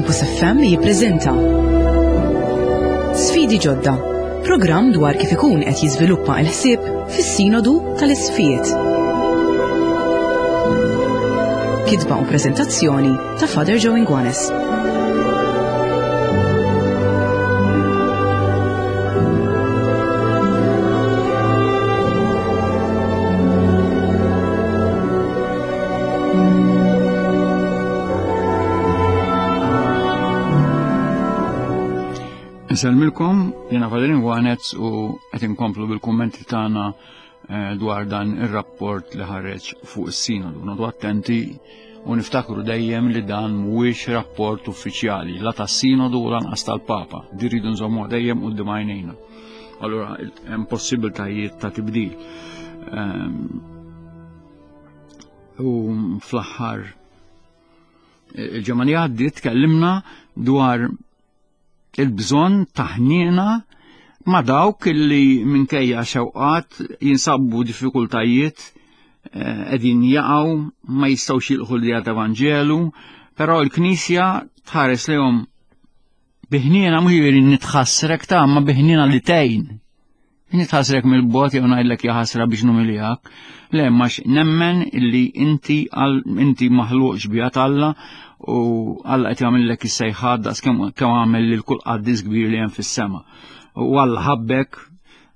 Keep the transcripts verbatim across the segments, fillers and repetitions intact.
Campus F M jippreżenta Sfidi Ġodda, programm dwar kif ikun qed jiżviluppa l-ħsieb fis-Sinodu tal-Isqfijiet. Kitba u preżentazzjoni ta' Father Joe Inguanes. Nselmilkom, jiena Father Inguanez u qed inkomplu bil-kummenti tagħna dwar dan ir-rapport li ħareġ fuq is-Sinodu. Noqogħdu attenti u niftakru dejjem li dan mhuwiex rapport uffiċjali, la tas-Sinodu u lanqas tal-Papa. Din rridu nżommuha dejjem quddiem għajnejna. Allura hemm possibiltajiet ta' tibdil. Ehm, u fl-aħħar il-ġimgħa li għaddiet tkellimna dwar il-bżonn ta' ħniena ma' dawk li minkejja xewqat jinsabu diffikultajiet, eh, qegħdin jaqgħu, ma jistgħux jilqħu l-dija ta' Vanġelu, però l-Knisja tħares lejhom bi ħniena, mhux jiġifieri nitħassrek ta' ma bi ħniena li tgħin. Nitħassrek mill-bogħod jew ngħidlek ja ħasra biex numiljak. Le, ma nemmen illi inti għal-, inti maħluq xbieha t'Alla u Alla qed jagħmellek is-sejħat daqs kemm, kemm għamel lil kull qaddis kbir li hemm fis-sema. U Alla ħabbek,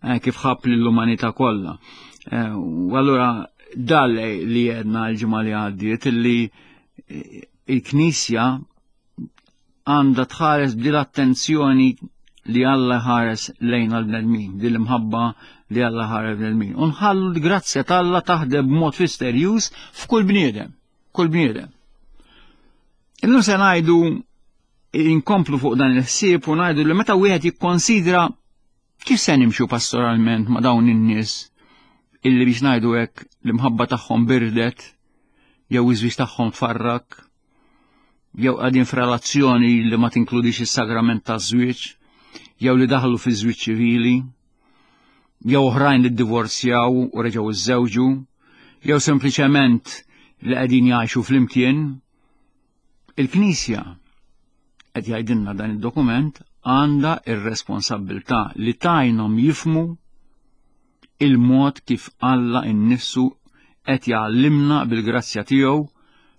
eh, kif ħabb lill-umanità kollha. Eh, u allura dal li għedna l-ġimgħa li għaddiet illi, eh, il-Knisja għandha tħares b'dil attenzjoni li Alla ħares lejn għall-bnedmin, din l-imħabba li Alla ħares bnedmin. U nħallu l-grazzja t'Alla taħdem b'mod misterjuż f'kull bniedem, kull bniedem. Illum se ngħidu inkomplu fuq dan il-ħsieb u ngħidu li meta wieħed jikkonsidra kif se nimxu pastoralment ma' dawn in-nies illi biex ngħidu hekk l-imħabba tagħhom birdet jew iż-żwieġ tagħhom tfarrak jew qegħdin f'relazzjoni li ma tinkludix is-sagrament taż-żwieġ jew li daħlu fi żwieġ ċivili jew oħrajn li ddivorzjaw u reġgħu iżżewġu jew sempliċement li qegħdin jgħixu flimkien. Il-Knisja, qed jgħidilna dan id-dokument, għandha ir-responsabbiltà li tgħinhom jifhmu il-mod kif Alla innifsu qed jgħallimna bil-grazzja tiegħu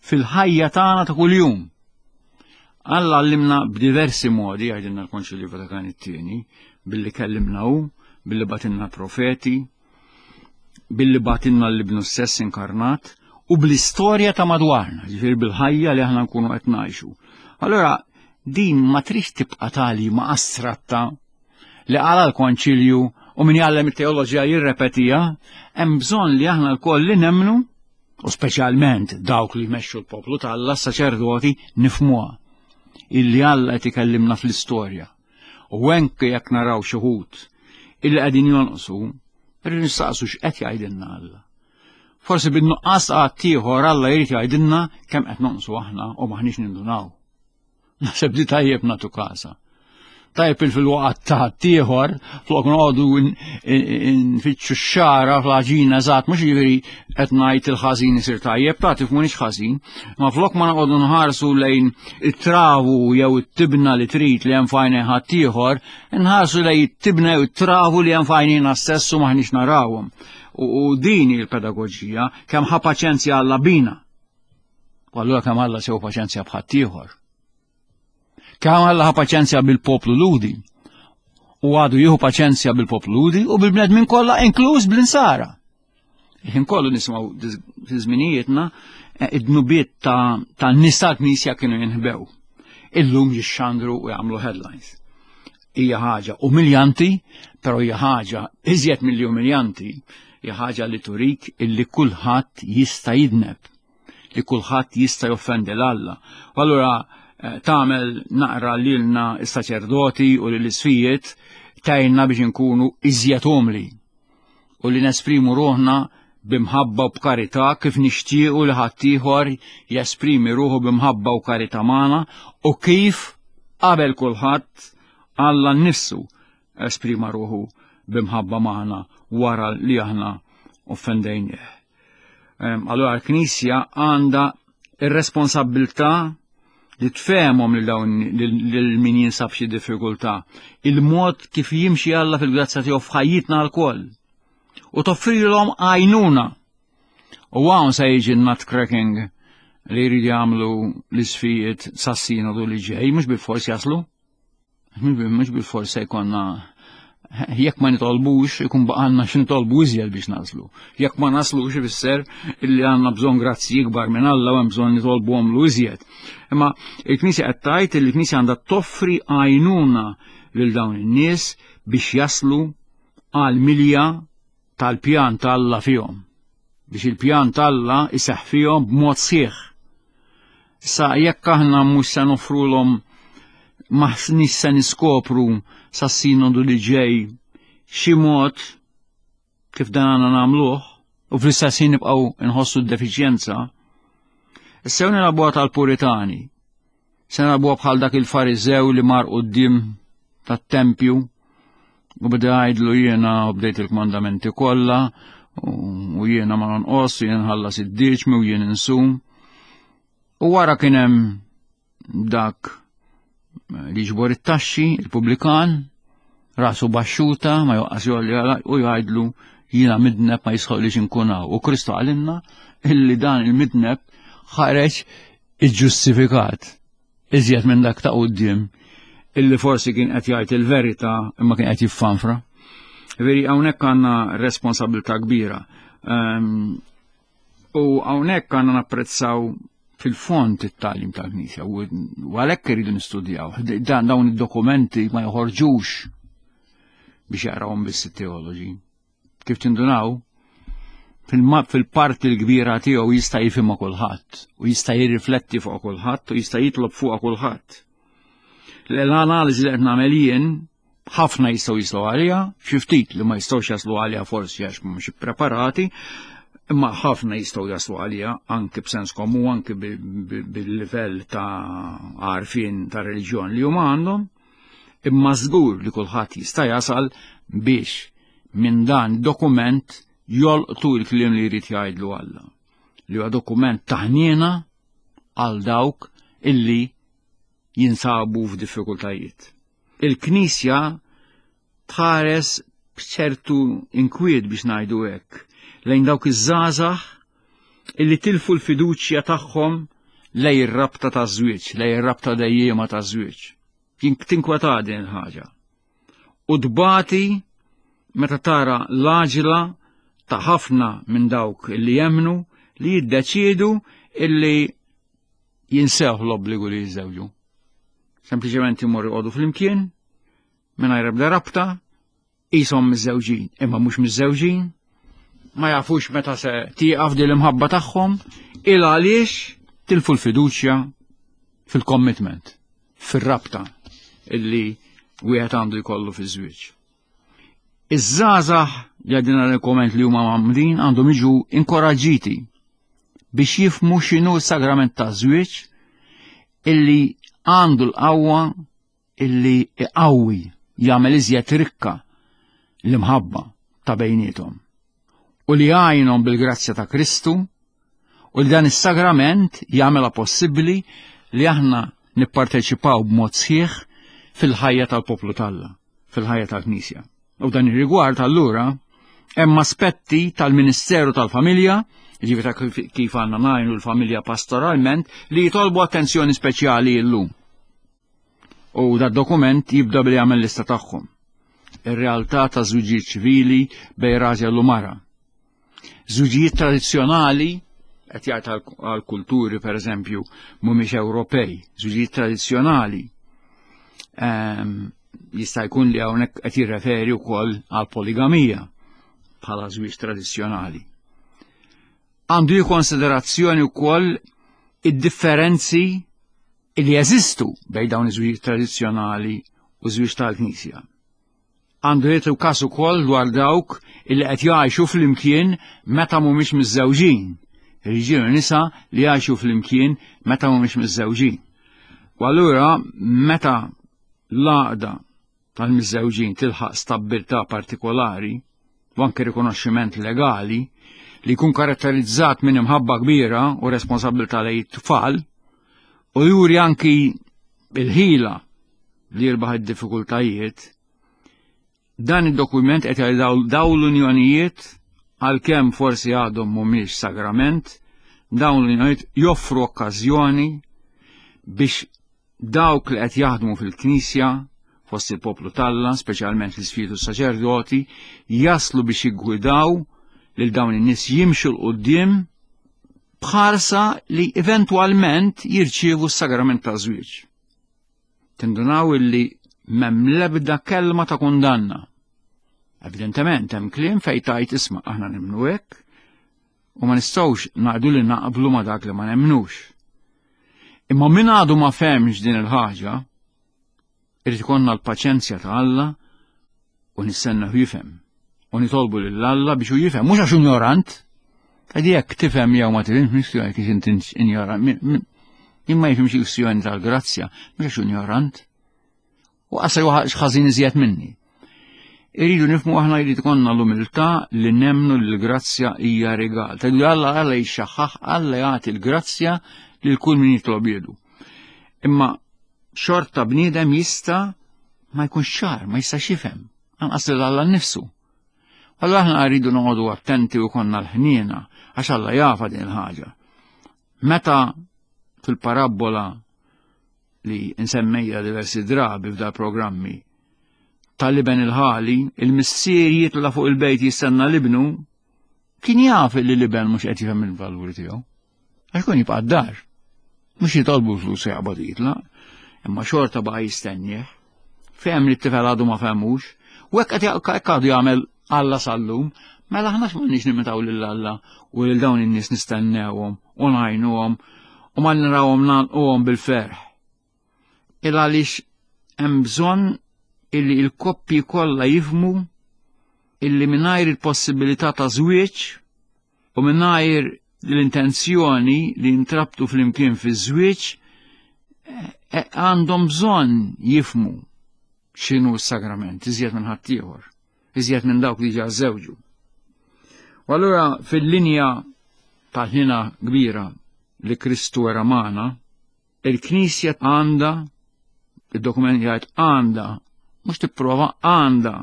fil-ħajja tagħna ta' kuljum. Alla għallimna b'diversi modi, jgħidilna l-Konċilju Vatikan it-tieni, billi kellimna hu, billi batilna profeti, billi batilna l-Ibnu stess inkarnat, u bl-istorja ta' madwarna, ġifieri bil-ħajja li aħna nkunu qed ngħixu. Allura din ma trix tibqa' tali ma' astratta li qala l-Konċilju u min jgħallem it-teoloġija jirrepetija, hemm bżonn li aħna lkoll li nemmnu, u speċjalment dawk li jmexxu l-poplu t'Alla, s-saċerdoti, nifhmuha illi Alla qed ikellimna fl-istorja. U anke jekk naraw xi wħud illi qegħdin jonqsu, irridu nistaqsu x'qed jgħidilna Alla. Forsi bin-nuqqas qatt ieħor Alla jrid jgħidilna kemm qed nonqsu aħna u maħniex nindunaw. Naħseb li tajjeb nagħtu każa. Tajjeb il fil-waqt ta' ieħor flok noqogħdu n-, n-, nfittxu x-xara fl-għaġina eżatt, mhux jiġifieri qed ngħid il-ħażin isir tajjeb, ta' tifhmunix ħażin, ma flok ma noqogħdu nħarsu lejn it-travu jew it-tibna li trid li hemm f'għajnejn ħaddieħor, nħarsu lejn it-tibna jew it-travu li hemm f'għajnejna stess u maħniex narawhom. U, u din hi l-pedagoġija, kemm ħa paċenzja Alla bina. U allura kemm Alla sew paċenzja b'ħaddieħor. Kemm Alla ħa paċenzja bil-poplu Lhudi. U għadu jieħu paċenzja bil-poplu Lhudi u bil-bnedmin kollha, inkluż bl-insara. Ħin kollu nisimgħu diż-, fi żminijietna, eh, id-dnubiet ta', ta' nies tal-Knisja kienu jinħbew. Illum jixxandru u jagħmlu headlines. Hija ħaġa umiljanti, però hija ħaġa iżjed milli umiljanti, hija ħaġa li turik illi kulħadd jista' jidneb, li kulħadd jista' joffendi l Alla. U allura, eh, tagħmel naqra lilna s-saċerdoti u lill-isfijiet tgħinna biex inkunu iżjed umli u li nesprimu ruħna b'imħabba u b'karità kif nixtiequ li ħaddieħor jesprimi ruħu b'imħabba u karità magħna u kif qabel kulħadd Alla nnifsu esprima ruħu b'imħabba magħna wara li aħna offendejnieh. Ehm, allura l-Knisja għandha ir-responsabbiltà li tfehmhom lil dawn lil min jinsab xi diffikultà, il-mod kif jimxi Alla fil-grazzja tiegħu f'ħajjitna lkoll. U toffrilhom għajnuna. U hawn se jiġi nut cracking li jridu jagħmlu l-isqfijiet sas-sinodu li ġej, mhux bil-fors jaslu. Mhux bil-fors se jkollna jekk ma nitolbux, ikun baqgħalna x'nitolbu iżjed biex naslu. Jekk ma naslux ifisser illi għandna bżonn grazzi ikbar minn Alla u hemm bżonn nitolbuhomlu iżjed. Imma il-Knisja qed tgħid li l-Knisja għandha toffri għajnuna lil dawn in-nies biex jaslu għal milja tal-pjan t'Alla fihom. Biex il-pjan t'Alla iseħħ fihom b'mod sħiħ. Sa jekk aħna mhux se noffrulhom m'aħniex se niskopru sas-sinodu li ġej xi mod kif dan għandna nagħmluh u fl-istess ħin nibqgħu nħossu d-defiċjenza. Issa nilagħbuha tal-Puritani. Se nilagħbuha bħal dak il-Fariżew li mar quddiem tat-tempju u beda jgħidlu jiena u bdejt il-kmandamenti kollha u jiena ma nonqos u jiena nħallas id-dieċmi u jien insum. U wara kien hemm dak li ġbor it-taxxi, il-pubblikan, rasu baxxuta, ma joqqas jolli u jgħidlu jiena midneb ma jisħoqlix inkun hawn. U Kristu qalilna illi dan il-midneb ħareġ iġġustifikat iżjed minn dak ta' quddiem illi forsi kien qed jgħid il-verità imma kien qed jiffanfra. Veri hawnhekk għandna responsabilità kbira. Um, u hawnhekk għandna napprezzaw fil-fond it-tagħlim tal-Knisja u għalhekk iridu nistudjaw. Dan dawn id-dokumenti ma joħorġux biex jaqrawhom biss it-teoloġi. Kif tindunaw, fil-parti l-kbira tiegħu jista' jifhimha kulħadd u jista' jirrifletti fuq kulħadd u jista' jitlob fuq kulħadd. L-analiżi li qed nagħmel jien ħafna jistgħu jislu għaliha, xi ftit li ma jistgħux jaslu għaliha forsi għax mhumiex ippreparati, imma ħafna jistgħu jaslu għaliha anke b'sens komun, anke bil-livell ta' għarfien ta' reliġjon li huma għandhom, imma żgur li kulħadd jista' jasal biex minn dan dokument jolqtu l-kliem li jrid jgħidlu Alla. Li huwa dokument ta' ħniena għal dawk illi jinsabu f'diffikultajiet. Il-Knisja tħares b'ċertu inkwiet biex ngħidu hekk lejn dawk iż-żgħażagħ illi tilfu l-fiduċja tagħhom lejn ir-rabta taż-żwieġ, lejn ir-rabta dejjiema taż-żwieġ. Tinkweta din il-ħaġa. U tbati meta tara l-għaġla ta' ħafna minn dawk illi jemmnu li jiddeċiedu illi jinsew l-obbligu li jiżżewġu. Sempliċement imorru joqogħdu flimkien, mingħajr ebda rabta, qishom miżżewġin, imma mhux miżżewġin, ma jafux meta se tieqaf din l-imħabba tagħhom, il għaliex tilfu l-fiduċja fil-commitment, fir-rabta illi wieħed għandu jkollu fiż-żwieġ. Iż-żgħażagħ li għadina l-komment li huma mgħammdin għandhom jiġu inkoraġġiti biex jifhmu x'inhu s-sagrament taż-żwieġ illi għandu l-qawwa illi iqawwi jagħmel iżjed rikka l-imħabba ta' bejniethom u li jgħinhom bil-grazzja ta' Kristu u li dan is-sagrament jagħmilha possibbli li aħna nipparteċipaw b'mod sħiħ fil-ħajja tal-poplu t'Alla, fil-ħajja tal-Knisja. U dan ir-rigward allura hemm aspetti tal-Ministeru tal-Familja, jiġifieri ta' kif għandna ngħinu l-familja pastoralment, li jitolbu attenzjoni speċjali llum. U da dokument jibda billi jagħmel lista tagħhom. Ir-realtà ta' żwiġijiet ċivili bejn raġel u mara. Żwiġijiet tradizzjonali qed jgħid għal kulturi pereżempju mhumiex Ewropej, żwiġijiet tradizzjonali. Ehm, jista' jkun li hawnhekk qed jirreferi wkoll għal poligamija bħala żwieġ tradizzjonali. Għandu konsiderazzjoni wkoll id-differenzi li jeżistu bejn dawn iż-żwieġ tradizzjonali u żwieġ tal-Knisja. Għandu jagħti każ ukoll dwar dawk illi qed jgħixu flimkien meta mhumiex miżżewġin. Irġiel u nisa li jgħixu flimkien meta mhumiex miżżewġin. U allura meta l-għaqda tal-miżżewġin tilħaq stabbiltà partikolari u anke rikonoxximent legali li jkun karatterizzat minn imħabba kbira u responsabilità lejn it-tfal, U juri anki il-ħila li jirbaħ id-diffikultajiet, dan id-dokument qed jgħid daw l-unjonijiet, għalkemm forsi għadhom mhumiex sagrament, dawn l-unjonijiet joffru okkażjoni biex dawk li qed jaħdmu fil-Knisja fost il-poplu t'Alla, speċjalment l-isfitu saċerdoti, jaslu biex jiggwidaw lil dawn in-nies jimxu 'l quddiem bħarsa li eventwalment jirċievu s-sagrament ta' żwieġ. Tindunaw illi m'hemm l-ebda kelma ta' kundanna. Evidentement hemm kliem fejn tajt isma' aħna nemmnu hekk u ma nistgħux ngħidu li naqblu ma dak li ma nemmnux. Imma min għadu ma fehmx din il-ħaġa, irid ikollna l-paċenzja ta' Alla u nistenna jifhem. U nitolbu lil Alla biex hu jifhem, mhux għax ignorant. Għadi jekk tifhem jew ma tifhimx, mhux jekk inti ignorant. Imma jifhimx kwistjoni tal-grazzja, mhux għax ignorant. U qasa ħażin iżjed minni. Irridu nifhmu aħna jrid ikollna l-umiltà li nemmnu li l-grazzja hija rigal. Tgħidu Alla Alla jixxaħħaħ, Alla jagħti l-grazzja lil kull min jitlob jedu. Imma xorta bniedem jista' ma jkunx ċar, ma jistax jifhem, anqas lil Alla nnifsu. Allura aħna rridu noqogħdu attenti u konna l-ħniena għax Alla jafa din il-ħaġa. Meta fil-parabbola li nsemmejja diversi drabi f'da programmi tal-iben il-ħali, il-missier jitla fuq il-bejt jistenna l-ibnu, kien jaf li l-iben mhux qed jifhem il-valuri tiegħu. Għax kun jibqa' d-dar. Mhux jitolbu flus jaqbad jitla, imma xorta baqa' jistennieh. Fehem li t-tifel għadu ma fehmux, u hekk qed għadu jagħmel Alla sal-lum, mela aħna x'm'għandniex nimitaw lil Alla u lil dawn in-nies nistennewhom u ngħinuhom u ma narawhom nagħlquhom bil-ferħ. Il għaliex hemm bżonn illi il-koppji kollha jifhmu illi mingħajr il-possibilità ta' żwieġ u mingħajr l-intenzjoni li jintrabtu flimkien fi żwieġ għandhom bżonn jifhmu x'inhu s-sagrament iżjed minn ħaddieħor, iżjed minn dawk li ġa żewġu. U allura fil-linja tal-ħina kbira li Kristu era magħna, il-Knisja għandha, il-dokument jgħid għandha, mhux tipprova, għandha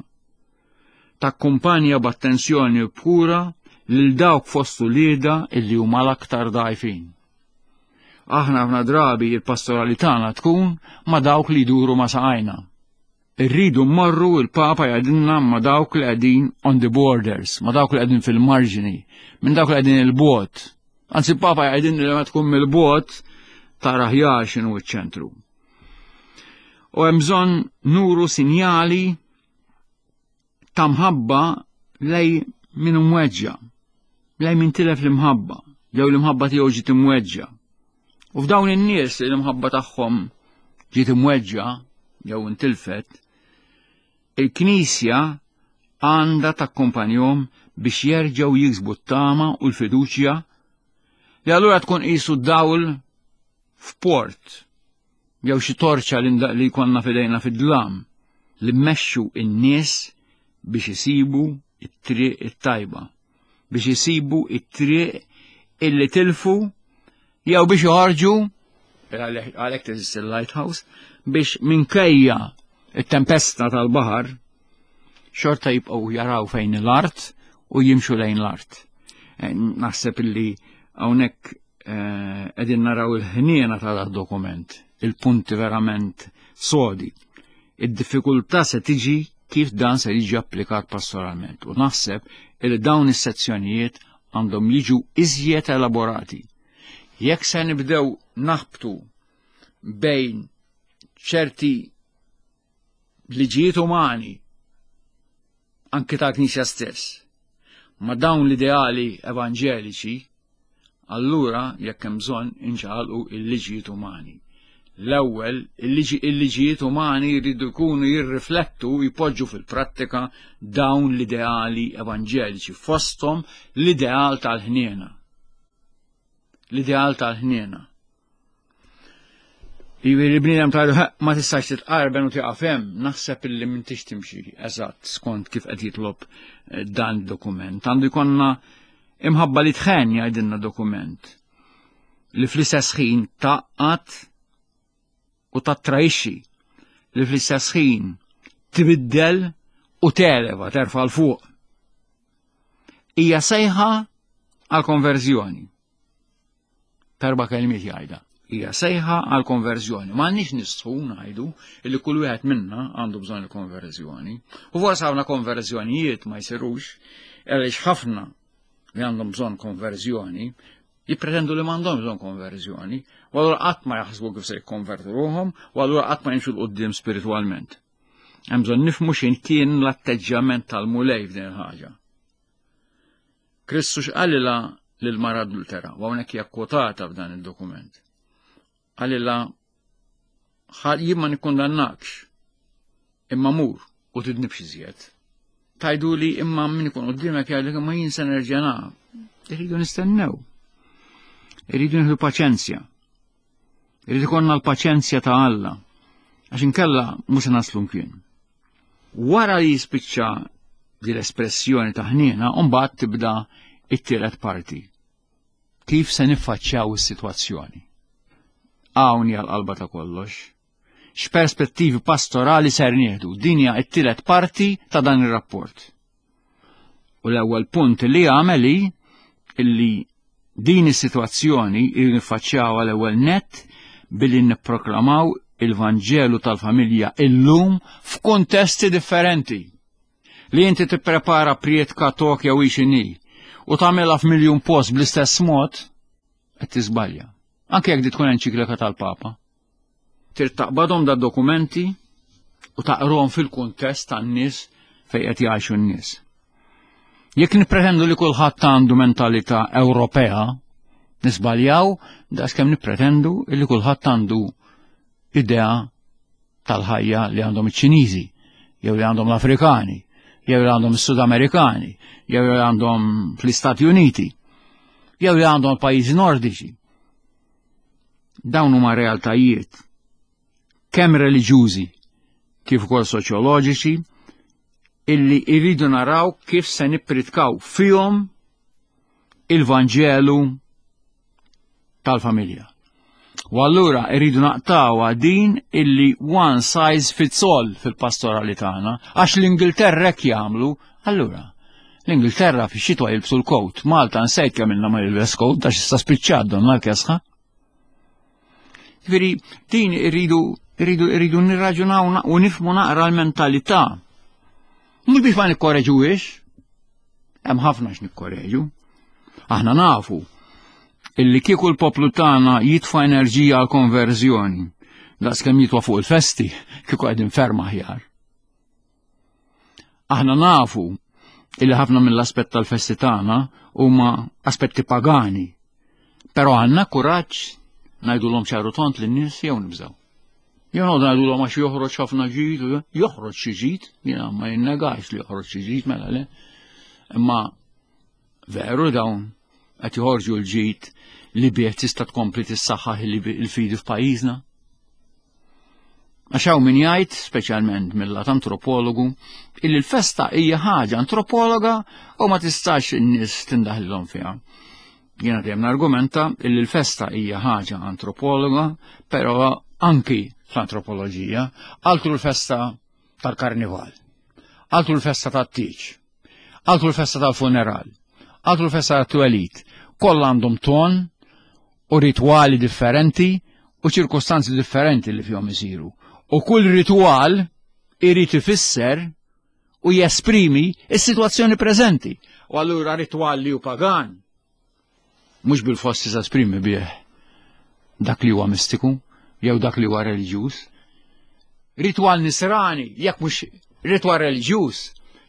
takkumpanja b'attenzjoni u b'kura lil dawk fost uliedha illi huma l-aktar dgħajfin. Aħna ħafna drabi il-pastorali tagħna tkun ma' dawk li jduru ma' saqajna. Irridu mmorru, il-Papa jgħidilna, ma' dawk li qegħdin on the borders, ma' dawk li qegħdin fil-marġini, minn dawk li qegħdin il-bogħod. Anzi, il-Papa jgħidilna li ma tkun mill-bogħod tara aħjar x'inhu ċ-ċentru. U hemm bżonn nuru sinjali ta' mħabba lej min imweġġa, lej min tilef l-imħabba, jew l-imħabba tiegħu ġiet imweġġa. U f'dawn in-nies li l-imħabba tagħhom ġiet imweġġa jew intilfet, il-Knisja għandha takkumpanjhom biex jerġgħu jiksbu t-tama u l-fiduċja li allura tkun qisu dawl f'port jew xi torċa li jkollna f'idejna fid-dlam li mmexxu n-nies biex isibu it-triq it-tajba, biex isibu it-triq illi tilfu jew biex joħorġu, għalhekk teżisti il-lighthouse, biex minkejja it-tempesta tal-baħar xorta jibqgħu jaraw fejn l-art u jimxu lejn l-art. Naħseb illi hawnhekk qegħdin naraw il-ħniena ta' dokument, il-punti verament sodi. Id-diffikultà se tiġi kif dan se jiġi applikat pastoralment. U naħseb li dawn is-sezzjonijiet għandhom jiġu iżjed elaborati. Jekk se nibdew naħbtu bejn ċerti liġijiet umani, anki ta' Knisja stess, ma dawn l-ideali evanġeliċi, allura jekk hemm bżonn inċaqalqu il-liġijiet umani. L-ewwel, il-liġijiet umani jridu jkunu jirriflettu, jpoġġu fil-prattika dawn l-ideali evanġeliċi, fosthom l-ideal tal-ħniena. L-ideal tal-ħniena. Jiġifieri bniedem tgħidu ma tistax titqarben u tieqaf hemm, naħseb illi m'intix timxi eżatt skont kif qed jitlob dan id-dokument. Għandu jkollna imħabba li tħenn, jgħidilna dokument, li fl-istess ħin tgħaqqad u tattrajxxi li fl-istess ħin tbiddel u televa terfa' 'l fuq. Hija sejħa għal konverżjoni. Terba' kelmiet jgħidha. Hija sejħa għal konverżjoni. M'għandniex nistħu ngħidu li kull wieħed minna għandu bżonn il-konverżjoni. U forsi ħafna konverżjonijiet ma jsirux għaliex ħafna li għandhom bżonn konverżjoni jippretendu li m'għandhom bżonn konverżjoni, u allura qatt ma jaħsbu kif se jikkonvertu ruħhom, u allura qatt ma jimxu 'l quddiem spiritwalment. Hemm bżonn nifhmu x'in kien l-atteġġjament tal-Mulej f'din il-ħaġa. Kristu x'qalilha lil-mara adultera, u hawnhekk hija kwotata f'dan id-dokument. Qalilha jien ma nikkundannakx, imma mur u tidnibx iżjed. Tajdu li imma min ikun quddiemek jgħidlek imma jien se nerġa' nagħmel. Irridu nistennew. Irridu nieħdu paċenzja. Irridu ikollna l-paċenzja ta' Alla. Għax inkella mhux se naslu mkien. Wara li jispiċċa di l-espressjoni ta' ħniena, mbagħad tibda it-tielet parti. Kif se niffaċċjaw is-sitwazzjoni? Hawn hija l-qalba ta' kollox. X'perspettivi pastorali ser nieħdu? Din hija t-tielet parti ta' dan ir-rapport. U l-ewwel punt li għamel hi illi din is-sitwazzjoni niffaċċjaw l-ewwel net billi nipproklamaw il-Vanġelu tal-familja illum f'kuntesti differenti. Li inti tipprepara prietka Tokyo u xini u tagħmilha f'miljun post bl-istess mod, qed tiżbalja. Anke jekk di tkun enċiklika tal-Papa. Trid taqbadhom da dokumenti u taqrahom fil-kuntest tan-nies fejn qed jgħixu n-nies. Jekk nippretendu li kulħadd għandu mentalità Ewropea, nisbaljaw daqskemm nippretendu li kulħadd għandu idea tal-ħajja li għandhom iċ-Ċiniżi, jew li għandhom l-Afrikani, jew li għandhom is-Sudamerikani, jew li għandhom fl-Istati Uniti, jew li għandhom l-pajjiżi Nordiċi. Dawn huma realtajiet kemm reliġjużi kif ukoll soċjoloġiċi illi irridu naraw kif se nippritkaw fihom il-Vanġelu tal-familja. U allura irridu naqtgħu din illi one size fits all fil-pastorali tagħna, għax l-Ingilterra hekk jagħmlu, allura l-Ingilterra fix-xitwa jilbsu l-coat, Malta nsejt kemm ilna ma jilbes coat għax issa spiċċat donna l-kesħa. Ġifieri din irridu irridu irridu nirraġunaw u nifhmu naqra l-mentalità. Mhux biex ma nikkoreġuhiex, hemm ħafna x'nikkoreġu. Aħna nafu illi kieku l-poplu tagħna jitfa' enerġija għal konverżjoni, daqskemm jitwa fuq il-festi, kieku qegħdin ferm aħjar. Aħna nafu illi ħafna mill-aspett tal-festi tagħna huma aspetti pagani. Però għandna kuraġġ ngħidulhom ċar u tond lin-nies jew nibżgħu. Jew noqgħdu ngħidulhom għax joħroġ ħafna ġid, joħroġ xi ġid, jiena ma jinnegax li joħroġ xi ġid mela le. Imma veru dawn qed joħorġu l-ġid li bih tista' tkompli tissaħħaħ il-fidi f'pajjiżna. Għax hawn min jgħid, speċjalment mill-lat antropologu, illi l-festa hija ħaġa antropologa u ma tistax in-nies tindaħlilhom fiha. Jiena dejjem nargumenta illi l-festa hija ħaġa antropologa, però anki fl-antropoloġija, altru l-festa tal-karnival, altru l-festa tat-tieġ, altru l-festa tal-funeral, altru l-festa tat-twelid, kollha għandhom ton u ritwali differenti u ċirkostanzi differenti li fihom isiru. U kull ritwal irid ifisser u jesprimi is-sitwazzjoni preżenti. U allura ritwal li hu pagan mhux bil-fors esprimi bih dak li huwa mistiku jew dak li huwa reliġjuż. Ritwal nisrani, jekk mhux ritwal reliġjuż,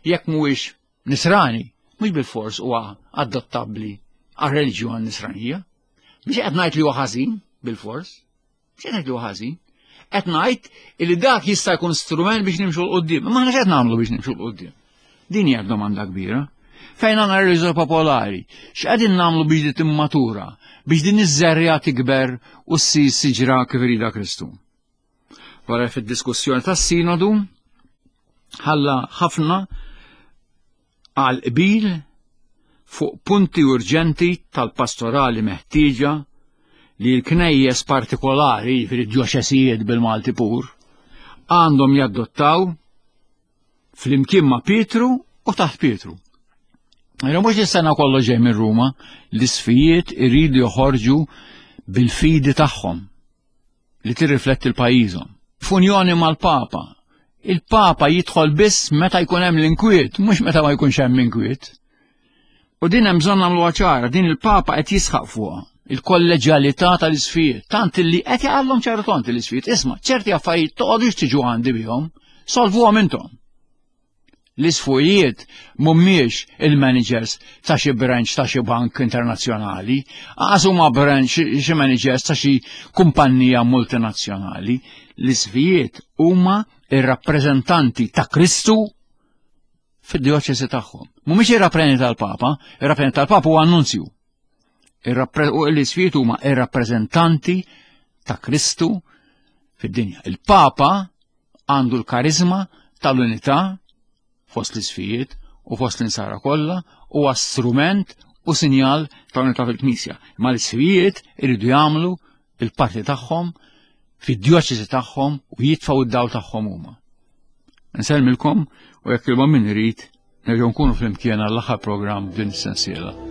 jekk mhuwiex nisrani, mhux bil-fors huwa adottabbli għar-reliġjon nisranija. Mhux qed ngħid li huwa ħażin bil-fors, mhux qed ngħid li huwa ħażin. Qed ngħid li dak jista' jkun strument biex nimxu 'l quddiem. Imma aħna x'qed nagħmlu biex nimxu 'l quddiem? Din hija domanda kbira. Fejn għandna reliġjon popolari, x'qegħdin nagħmlu biex di timmatura, biex din iż-żerriegħa tikber u ssir siġra kif irida Kristu. Wara fid-diskussjoni tas-sinodu ħalla ħafna għal qbil fuq punti urġenti tal-pastorali meħtieġa li l-knejjes partikolari, fil-djoċesijiet bil-Malti pur, għandhom jaddottaw flimkien ma' Pietru u taħt Pietru. Jena mhux is-sena kollu ġej minn Ruma, l-isqfijiet iridu joħorġu bil-fidi tagħhom li tirrifletti l-pajjiżhom. F'unjoni mal-Papa. Il-Papa jidħol biss meta jkun hemm l-inkwiet, mhux meta ma jkunx hemm inkwiet. U din hemm bżonn nagħmluha ċara, din il-Papa qed jisħaq fuqha il-kolleġjalità tal-isqfijiet, tant li qed jgħallhom ċertu tont l-isqfijiet, isma' ċerti affarijiet toqgħodux tiġu għandi bihom, solvuhom intom. L-isqfijiet mhumiex il-managers ta' xi branch ta' xi bank internazzjonali, lanqas huma branch xi managers ta' xi kumpanija multinazzjonali. L-isqfijiet huma ir-rappreżentanti ta' Kristu fid-dioċesi tagħhom. Mhumiex ir-rappreżentanti tal-Papa, ir-rappreżentant tal-Papa huwa n-nunzju. U l-isqfijiet huma ir-rappreżentanti ta' Kristu fid-dinja. Il-Papa għandu l-karizma tal-unità fost l-isqfijiet u fost l-insara kollha huwa strument u sinjal ta' unità fil-Knisja. Ma l-isqfijiet iridu jagħmlu il-parti tagħhom fid-djoċesi tagħhom u jitfgħu id-dawl tagħhom huma. Nsellmilkom u jekk il min irid nerġgħu nkunu flimkien għall-aħħar programm din is-sensiela.